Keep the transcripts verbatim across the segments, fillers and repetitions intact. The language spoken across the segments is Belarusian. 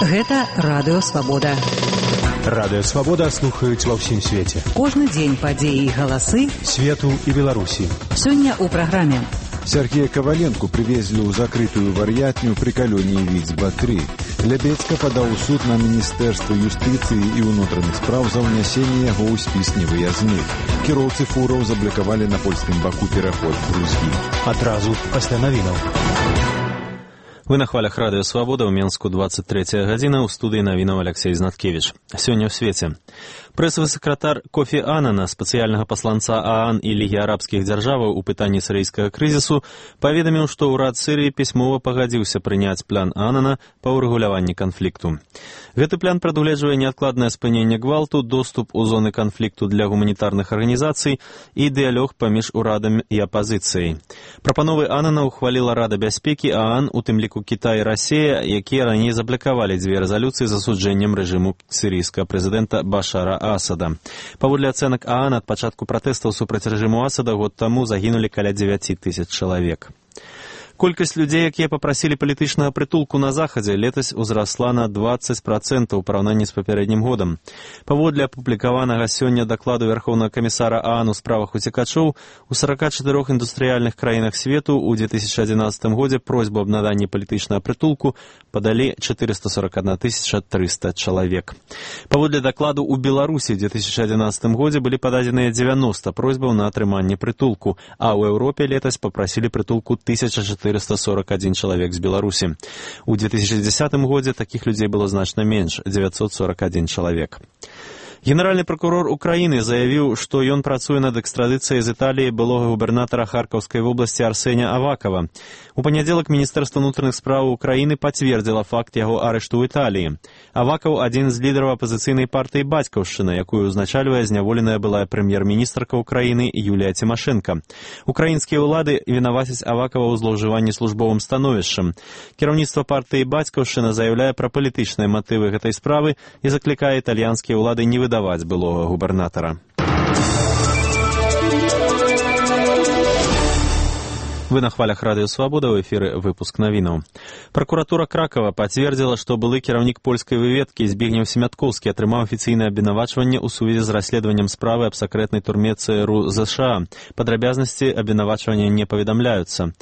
Гэта Радыё Свабода. Радыё Свабода слухаюць ва ўсім свеце. Кожны дзень падзеі і галасы свету і Беларусі. Сёння ў праграме. Сергея Коваленко привезли ў закрытую вар'ятню при калоніі Віцба три. Лябецка падаў у суд на Міністэрства юстыцыі і ўнутраных спраў за ўнясенне яго ў спіс невыязных. Кіроўцы фураў заблакавалі на польскім баку пераход Грузіі. Адразу пасля навінаў. Вы на хвалях Радыё Свабода, ў Менску двадцать третья гадзіна, ў студыі навінаў Алексей Знаткевич. Сёння ў свеце. Прэсавы сакратар Кофі Аннана, спецыяльнага пасланца ААН і Лігі арабскіх дзяржаваў у пытанні сірыйскага крызісу, паведаміў, што ўрад Сірыі пісьмова пагадзіўся прыняць план Аннана па ўрэгуляванні канфлікту. Гэты план прадугледжвае неадкладнае спыненне гвалту, доступ у зоны канфлікту для гуманітарных арганізацый і дыялог паміж урадам і апазіцыяй. Прапановы Аннана ухваліла Рада бяспекі ААН, у тым ліку Кітай і Расія, якія раней заблакавалі дзве рэзалюцыі з асуджэннем рэжыму сірыйскага прэзідэнта Башара Асада. Паводле ацэнак ААН, ад пачатку пратэстаў супраць рэжыму Асада год таму загінулі каля дзевяці тысяч чалавек. Колькасць людзей, якія папрасілі палітычнага прытулку на захадзе, летась узрасла на двадцать процентаў у параўнанні з папярэднім годам. Паводле апублікаванага сёння дакладу Вярхоўнага камісара ААН у справах уцекачоў, у сорока чатырох індустрыяльных краінах свету ў две тысячи одиннадцатым годзе просьбу аб наданні палітычнага прытулку падалі четыреста сорок одна тысяча триста чалавек. Паводле дакладу ў Беларусі ў две тысячи одиннадцатым годзе былі пададзеныя дзевяноста просьбаў на атрыманне прытулку, а ў Еўропе летась папрасілі прытулку тысяча четыреста сорок один чалавек з Беларусі. У две тысячи десятым годзе такіх людзей было значна менш – девятьсот сорок один чалавек. Генеральны прокурор Украіны заявіў, што ён працуе над экстрадыцыяй з Італіі былога губернатара Харкаўскай вобласці Арсеня Авакова. У панядзелак Міністэрства ўнутраных спраў Украіны пацвердзіла факт яго арышту ў Італіі. Авакаў – адзін з лідараў апазіцыйнай партыі «Бацькаўшчына», якую узначальвае зняволеная былая прэм'ер-міністрка Украіны Юлія Цімашэнка. Украінскія ўлады вінавацяць Авакава ў злоўжыванні службовым становішчам. Кіраўніцтва партыі «Бацькаўшчына» заяўляе пра палітычныя матывы гэтай справы і заклікае італьянскія ўлады не выдаваць былога губернатара. Вы на хвалях Радыё Свабода, ў эфіры выпуск навінаў. Пракуратура Кракава пацвердзіла, што былы кіраўнік польскай выведкі Збігнеў Семяткоўскі атрымаў афіцыйнае абвінавачванне ў сувязі з расследаваннем справы аб сакрэтнай турме ЦРУ ЗША. Падрабязнасці абвінавачвання не паведамляюцца.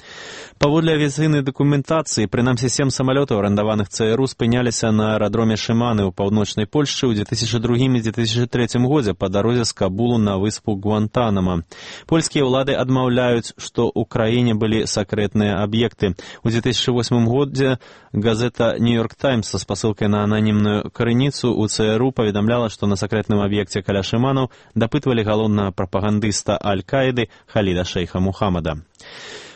Паводле авіяцыйнай дакументацыі, прынамсі сем самалётаў, арандаваных ЦРУ, спыняліся на аэрадроме Шыманы ў паўночнай Польшчы ў две тысячи другім і две тысячи трэцім годзе па дарозе з Кабулу на выспу Гуантанама. Польскія ўлады адмаўляюць, што ў краіне былі сакрэтныя аб'екты. У две тысячи восьмым годзе газета «Нью-Йорк Таймс» са спасылкай на ананімную крыніцу у ЦРУ паведамляла, што на сакрэтным аб'екце каля Шыманаў дапытвалі галоўнага прапагандыста Аль-Каіды Халіда Шейха Мухаммада.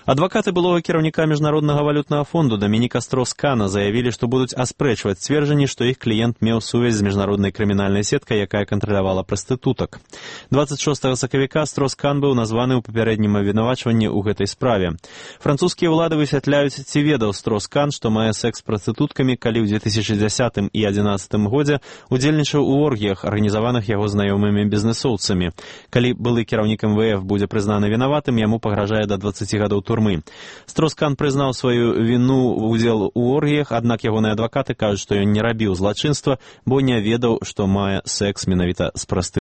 Адвакаты былога кіраўніка Міжнароднага валютнага фонду Дамініка Строс-Кана заявілі, што будуць аспрэчваць сцверджанні, што іх кліент меў сувязь з міжнароднай крымінальнай сеткай, якая кантралявала прастытутак. двадцать шостага сакавіка Строс-Кан быў названы ў папярэднім абвінавачванні ў гэтай справе. Французскія ўлады высвятляюць, ці ведаў Строс-Кан, што мае секс з прастытуткамі, калі ў две тысячи дзесятым і две тысячи адзінаццатым годзе удзельнічаў у оргіях, арганізаваных яго знаёмымі бізнэсоўцамі. Калі былы кіраўнік эм вэ эф будзе прызнаны вінаватым, яму пагражае да дваццаці гадоў турмы. Строс-Кан прызнаў сваю віну ў удзел у оргіях, аднак ягоныя адвакаты кажуць, што ён не рабіў злачынства, бо не ведаў, што мае секс менавіта з прастытуткамі.